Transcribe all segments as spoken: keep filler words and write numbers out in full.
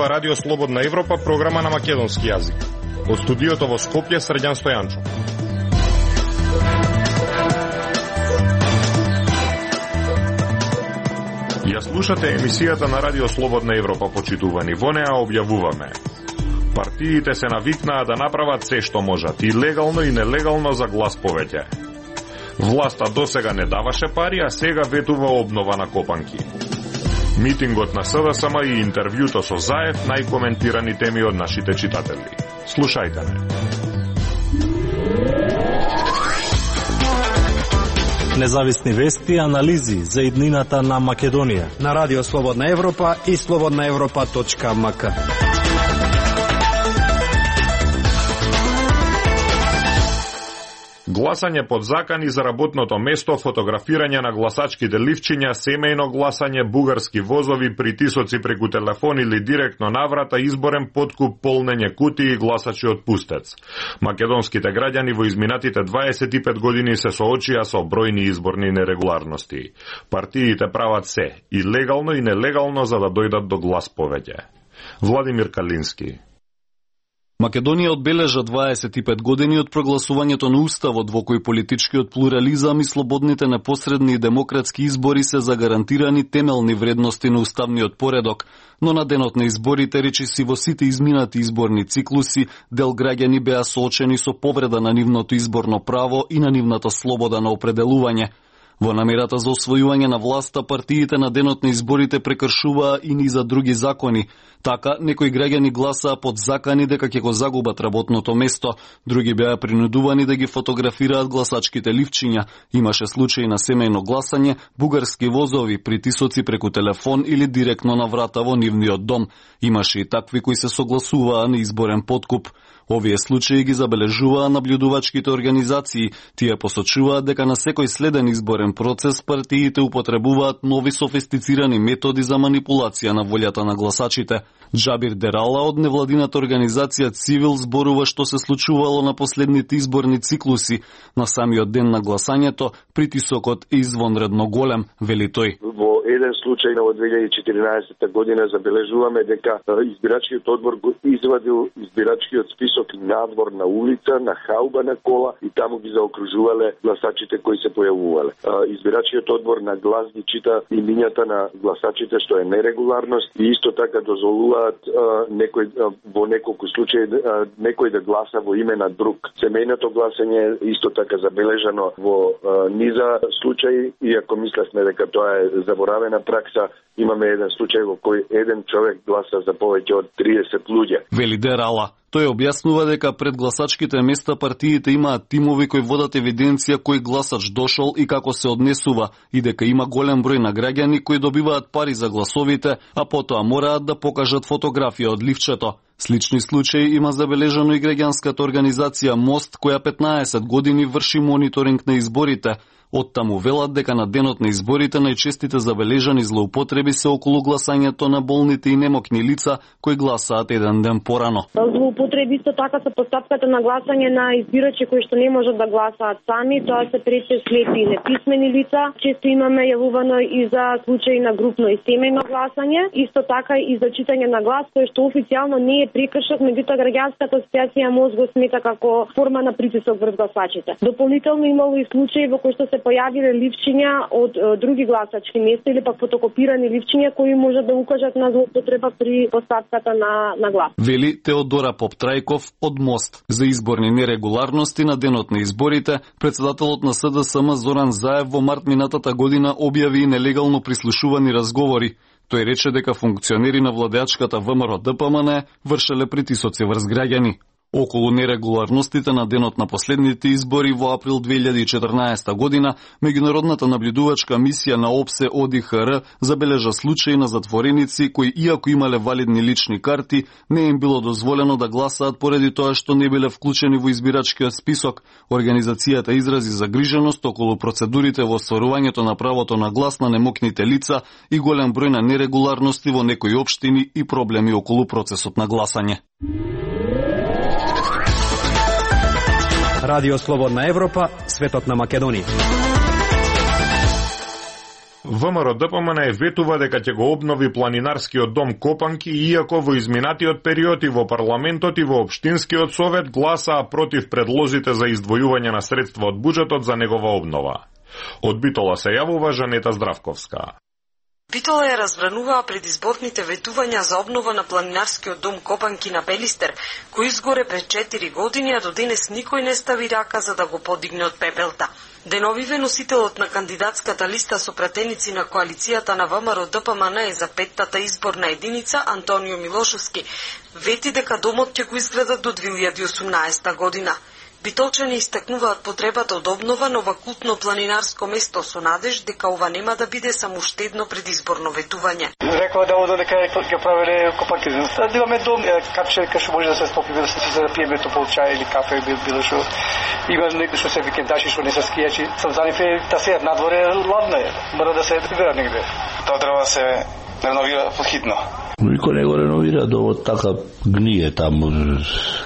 ова Радио Слободна Европа, програма на македонски јазик. Од студиото во Скопје, Срđan Стојанчо. Ја слушате емисијата на Радио Слободна Европа, почитувани. Во неа објавуваме: партиите се навикнаа да направат се што можат, и легално и нелегално, за глас повеќе. Власта досега не даваше пари, а сега ветува обнова на копанки. Митингот на СДСМ и интервјуто со Заев, најкоментирани теми од нашите читатели. Слушајте ме. Независни вести и анализи за иднината на Македонија на Радио Слободна Европа и слободна европа точка ем ка. Гласање под закани за работното место, фотографирање на гласачките ливчиња, семејно гласање, бугарски возови, притисоци преку телефон или директно на врата, изборен подкуп, полнење кутии и гласачи од пустец. Македонските граѓани во изминатите дваесет и пет години се соочија со бројни изборни нерегуларности. Партиите прават се, и легално и нелегално, за да дојдат до глас повеќе. Владимир Калински. Македонија одбележа дваесет и пет години од прогласувањето на уставот, во кој политичкиот плурализам и слободните непосредни и демократски избори се загарантирани темелни вредности на уставниот поредок, но на денот на изборите, речиси во сите изминати изборни циклуси, дел граѓани беа соочени со повреда на нивното изборно право и на нивната слобода на определување. Во намерата за освојување на власта, партиите на денот на изборите прекршуваа и низа други закони. Така, некои граѓани гласаа под закани дека ќе го загубат работното место, други беа принудувани да ги фотографираат гласачките ливчиња. Имаше случаи на семејно гласање, бугарски возови, притисоци преку телефон или директно на врата во нивниот дом. Имаше и такви кои се согласуваа на изборен подкуп. Овие случаи ги забележуваа наблюдувачките организации. Тие посочуваат дека на секој следен изборен процес партиите употребуваат нови софистицирани методи за манипулација на волјата на гласачите. Джабир Дерала од невладината организација Цивил зборува што се случувало на последните изборни циклуси. На самиот ден на гласањето притисокот е извонредно голем, вели тој. Во еден случај на две илјади и четиринаесетта година забележуваме дека избирачкиот одбор го извадил избирачкиот список надвор на улица, на хауба на кола, и таму ги заокружувале гласачите кои се појавувале. Избирачкиот одбор на глас ги чита имињата на гласачите, што е нерегуларност, и исто така дозволуваат некој во неколку случаи некој да гласа во име на друг. Семејното гласање исто така забележано во низа случаи, иако мислевме дека тоа е заборавена пракса. Имаме еден случај во кој еден човек гласа за повеќе од триесет луѓе. Вели Дерала. Тој објаснува дека пред гласачките места партиите имаат тимови кои водат евиденција кој гласач дошол и како се однесува, и дека има голем број на граѓани кои добиваат пари за гласовите, а потоа мораат да покажат фотографија од ливчето. Слични случаи има забележано и граѓанската организација Мост, која петнаесет години врши мониторинг на изборите. Оттаму велат дека на денот на изборите најчестите забележани злоупотреби се околу гласањето на болните и немокни лица кои гласаат еден ден порано. Злоупотреби исто така со постапката на гласање на избирачи кои што не можат да гласаат сами, тоа се прече слепи и неписмени лица. Често имаме јавувано и за случаи на групно и семејно гласање, исто така и за читање на глас, кој што официјално не е прекршок, меѓутоа граѓанската асоциација МОЗ го смета како форма на притисок врз гласачите. Дополнително имало и случаи во кои што се појавиле ливчиња од е, други гласачки места или пак фотокопирани ливчиња кои можат да укажат на злоупотреба при постапката на, на глас. Вели Теодора Поптрајков од Мост. За изборни нерегуларности на денот на изборите, председателот на СДСМ Зоран Заев во март минатата година објави нелегално прислушувани разговори. Тој рече дека функционери на владеачката ВМРО Д П М Н вршеле притисоци врз граѓани. Околу нерегуларностите на денот на последните избори во април две илјади и четрнаесетта година, меѓународната наблюдувачка мисија на ОПСЕ О Д Х Р забележа случаи на затвореници кои, иако имале валидни лични карти, не им било дозволено да гласаат поради тоа што не биле вклучени во избирачкиот список. Организацијата изрази загриженост околу процедурите во остварувањето на правото на глас на немокните лица и голем број на нерегуларности во некои општини и проблеми околу процесот на гласање. Радио Слободна Европа, светот на Македонија. ВМРО-ДПМН е ветува дека ќе го обнови планинарскиот дом Копанки, иако во изминатиот период и во парламентот и во општинскиот совет гласаа против предлозите за издвојување на средства од буџетот за негова обнова. Од Битола се јавува Жанета Здравковска. Битола ја разбрануваа предизборните ветувања за обнова на планинарскиот дом Копанки на Пелистер, кој изгоре пред четири години, а до денес никој не стави рака за да го подигне од пепелта. Деновиве носителот на кандидатската листа со пратеници на коалицијата на ВМРО-ДПМН за петтата изборна единица Антонио Милошовски вети дека домот ќе го изградат до две илјади и осумнаесета година. Битолчани истакнуваат потребата од обнова на ова култно планинарско место со надеж дека ова нема да биде само уште едно предизборно ветување. Рекоа да одо дека ќе правеле Копанки. Да имаме дом, капче кај може да се стопи, да се да пиеме топол чај или кафе било што. Има некои што се викендачи што не се скијачи. Сам за нив да се надворе ладно е. Мора да се прибера негде. Тоа треба да се реновира подхитно. Никој не го реновира, домот така гние таму,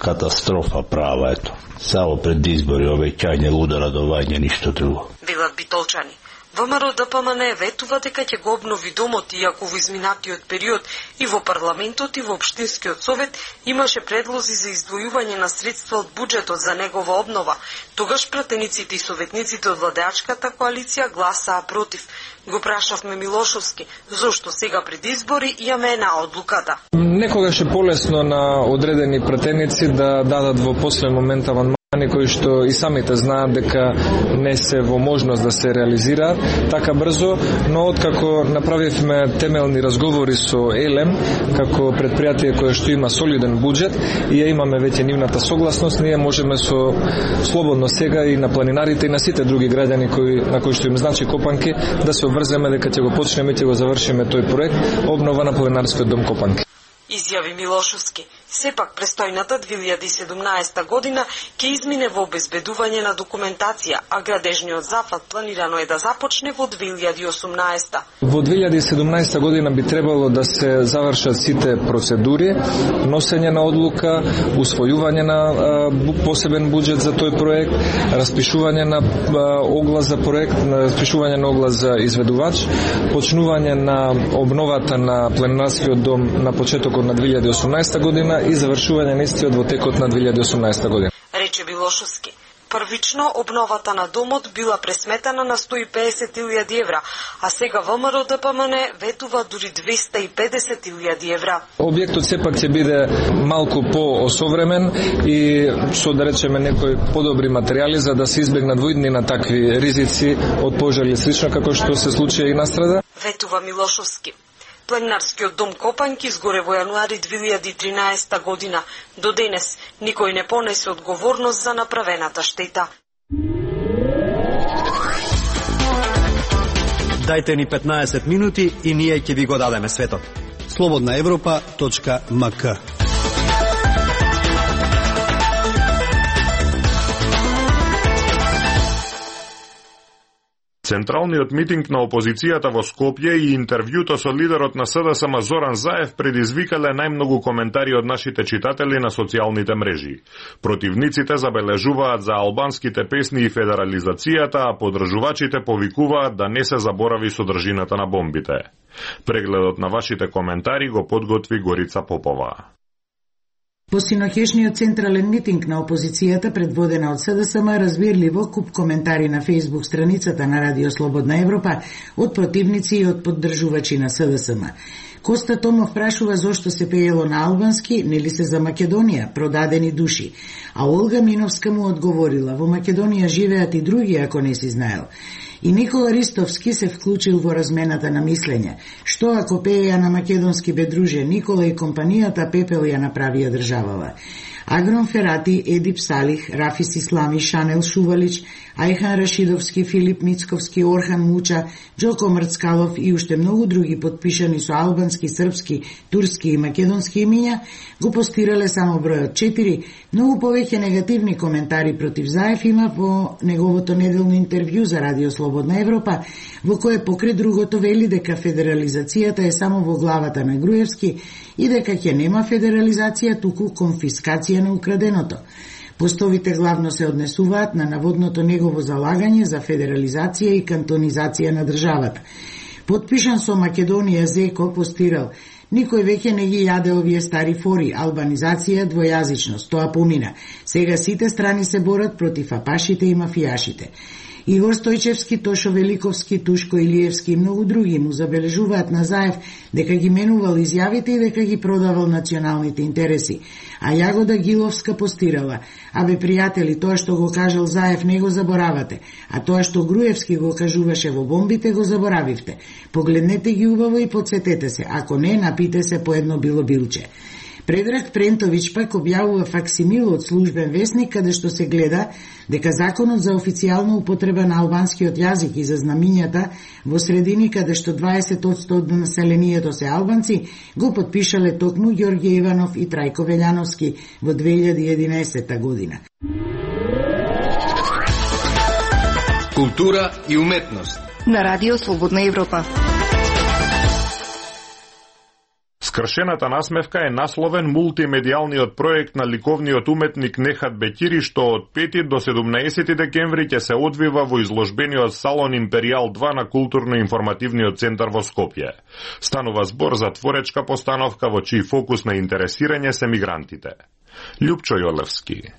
катастрофа права, ето. Само пред избори, обеќање, луда радување, ништо друго. Велат битолчани. ВМРО-ДПМН ветува дека ќе го обнови домот, иако во изминатиот период и во парламентот и во општинскиот совет имаше предлози за издвојување на средства од буџетот за негова обнова. Тогаш пратениците и советниците од владеачката коалиција гласаа против. Го прашавме Милошовски, зошто сега пред избори ја мена одлуката. Некогаш е полесно на одредени пратеници да дадат во последен момент аванмани кои што и самите знаат дека не се во можност да се реализираат така брзо, но откако направивме темелни разговори со Елем, како предпријатие кое што има солиден буџет и ја имаме веќе нивната согласност, ние можеме со слободно сега и на планинарите и на сите други граѓани кои на кои што им значи Копанки да се обврземе дека ќе го почнеме и ќе го завршиме тој проект обнова на планинарскиот дом Копанки. Изјави Милошовски. Сепак престојната две илјади и седумнаесета година ќе измине во обезбедување на документација, а градежниот зафат планирано е да започне во две илјади и осумнаесета. Во две илјади и седумнаесета година би требало да се завршат сите процедури, носење на одлука, усвојување на а, посебен буџет за тој проект, распишување на а, оглас за проект, распишување на оглас за изведувач, почнување на обновата на планинарскиот дом на почетокот на две илјади и осумнаесета година и завршување на истиот во текот на две илјади и осумнаесета година. Рече Билошовски. Првично обновата на домот била пресметана на сто и педесет илјади евра, а сега ВМРО-ДПМН ветува дури двеста и педесет илјади евра. Објектот сепак ќе биде малку поосовремен и со да речеме некои подобри материјали за да се избегнат во иднина такви ризици од пожари слично како што се случија и настрада. Ветува Милошовски. Планинарскиот дом Копанки изгоре во јануари две илјади и тринаесета година. До денес никој не понесе одговорност за направената штета. Дајте ни петнаесет минути и ние ќе ви го дадеме светот. слободна европа точка ем ка. Централниот митинг на опозицијата во Скопје и интервјуто со лидерот на С Д С М Зоран Заев предизвикале најмногу коментари од нашите читатели на социјалните мрежи. Противниците забележуваат за албанските песни и федерализацијата, а поддржувачите повикуваат да не се заборави содржината на бомбите. Прегледот на вашите коментари го подготви Горица Попова. По синоќешниот централен митинг на опозицијата, предводена од С Д С М, разбирливо куп коментари на Facebook страницата на Радио Слободна Европа од противници и од поддржувачи на С Д С М. Коста Томов прашува зошто се пеело на албански, нели се за Македонија, продадени души. А Олга Миновска му одговорила, во Македонија живеат и други, ако не си знаел. И Никола Ристовски се вклучил во размената на мислење. Што ако пееја на македонски бе друже, Никола и компанијата пепел ја направија државава. Агрон Ферати, Едип Салих, Рафис Ислами, Шанел Шувалич, Ајхан Рашидовски, Филип Мицковски, Орхан Муча, Џоко Мрцкалов и уште многу други подпишани со албански, српски, турски и македонски имиња, го постирале само бројот четири. Многу повеќе негативни коментари против Заев има во неговото неделно интервју за Радио Слободна Европа, во кое покре другото вели дека федерализацијата е само во главата на Груевски и дека ќе нема федерализација, туку конфискација на украденото. Постовите главно се однесуваат на наводното негово залагање за федерализација и кантонизација на државата. Подпишан со Македонија Зеко постирал: никој веќе не ги јаде овие стари фори, албанизација, двојазичност, тоа помина. Сега сите страни се борат против апашите и мафијашите. Игор Стојчевски, Тошо Великовски, Тушко Илиевски и многу други му забележуваат на Заев дека ги менувал изјавите и дека ги продавал националните интереси. А Јагода Гиловска постирала: абе пријатели, тоа што го кажал Заев не го заборавате, а тоа што Груевски го кажуваше во бомбите го заборавивте. Погледнете ги убаво и подсетете се, ако не, напите се по едно било билче. Предраг Прентовиќ пак објавува факсимил од службен весник, каде што се гледа дека законот за официјална употреба на албанскиот јазик и за знамињата во средини каде што дваесет одсто од населението се албанци го потпишале токму Ѓорѓе Иванов и Трајко Велјановски во две илјади и единаесетта година. Култура и уметност на Радио Слободна Европа. Скршената насмевка е насловен мултимедијалниот проект на ликовниот уметник Нехат Бекири, што од пети до седумнаесети декември ќе се одвива во изложбениот салон Империјал два на културно-информативниот центар во Скопје. Станува збор за творечка постановка во чиј фокус на интересирање се мигрантите. Љупчо Јолевски.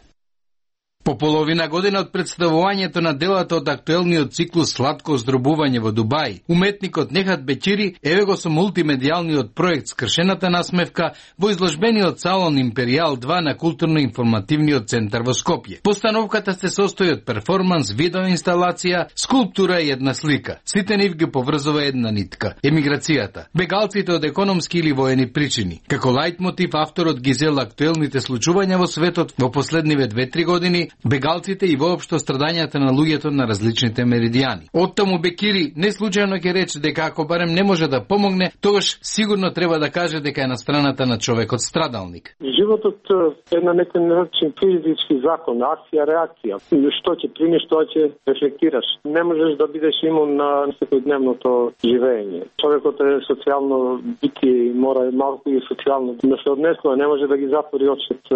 По половина година од представувањето на делата од актуелниот циклус Сладко оздробување во Дубај, уметникот Нехат Бекири еве го со мултимедијалниот проект Скршената насмевка во изложбениот салон Империјал два на културно-информативниот центар во Скопје. Постановката се состои од перформанс, видеоинсталација, скулптура и една слика. Сите нив ги поврзува една нитка – емиграцијата. Бегалците од економски или воени причини. Како лајт мотив авторот ги зел актуелните случувања во светот во последниве две-три години, бегалците и воопшто страдањата на луѓето на различните меридијани. Оттаму Бекири не случајно ќе рече дека ако барем не може да помогне, тогаш сигурно треба да каже дека е на страната на човекот страдалник. Животот е на некој начин физички закон, акција, реакција. Што ќе примиш, тоа ќе рефлектираш. Не можеш да бидеш имун на секојдневното живење. Човекот е социјално битие и мора малку и социјално да се однесува, не може да ги затвори очите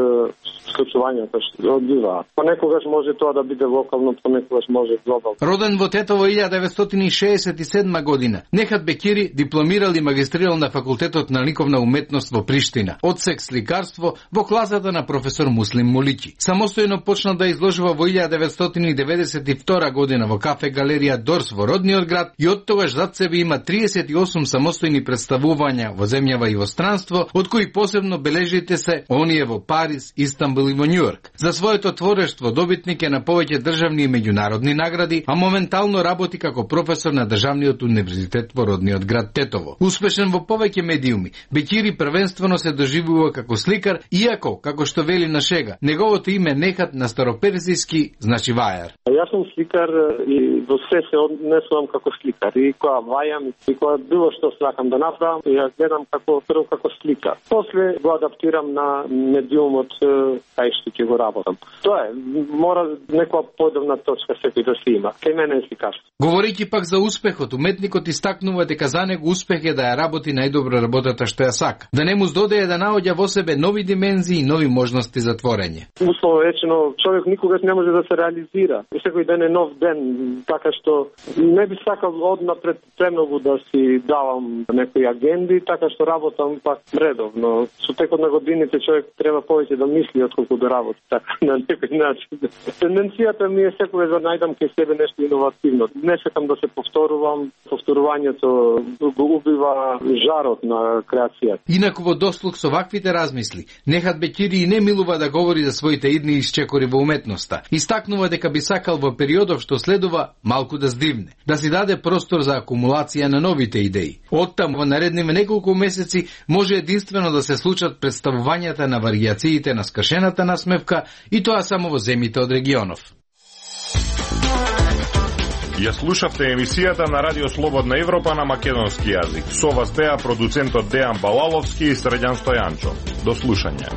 случувањата што одбиваат. Понекогаш може тоа да биде локално, понекогаш може глобално. Роден во Тетово илјада деветстотини и шеесет и седма година, Нехат Бекири дипломирал и магистрирал на факултетот на ликовна уметност во Приштина, одсек сликарство во класата на професор Муслим Моличи. Самостојно почнал да изложува во илјада деветстотини деведесет и втора година во кафе галерија Дорс во родниот град и од тогаш зад себе има триесет и осум самостојни представувања во земјава и во странство, од кои посебно бележите се оние во Париз, Истанбул и во Њујорк. За своето творештво добитник е на повеќе државни и меѓународни награди, а моментално работи како професор на Државниот универзитет во родниот град Тетово. Успешен во повеќе медиуми, Бекири првенствено се доживува како сликар, иако, како што вели на шега, неговото име Нехат на староперзијски значи вајар. Јас сум сликар и во се се однесувам како сликар. И кога вајам, и кога било што сакам да направам, ја гледам како прво како сликар. После го адаптирам на медиумот кај што ќе го работам. Тоа е, мора некоја подобна точка секој да се има. Кај мене е сликарство. Говорејќи пак за успехот, уметникот истакнува дека за него успех е да ја работи најдобро работата што ја сака. Да не му здодее да наоѓа во себе нови димензии и нови можности за творење. Условно речено, човек никогаш не може да се реализира. Секој ден е нов ден, така што не би сакал однапред премногу да си давам некои агенди, така што работам пак редовно. Со текот на годините човек треба повеќе да мисли отколку да работи, така на некој начин. Тенденцијата ми е секогаш да најдам кај себе нешто иновативно. Не сакам да се повторувам, повторувањето го убива жарот на креацијата. Инаку во дослуг со ваквите размисли, Нехат Бекири и не милува да говори за своите идни исчекори во уметноста. Истакнува дека би сакал во периодов што следува малку да здивне, да си даде простор за акумулација на новите идеи. Оттаму во наредниве неколку месеци може единствено да се случат представувањата на варијациите на Скршената насмевка и тоа само во земјите од регионов. Ја слушавте емисијата на Радио Слободна Европа на македонски јазик. Со вас беа продуцентот Дејан Балаловски и Срđan Стојанчо. До слушање.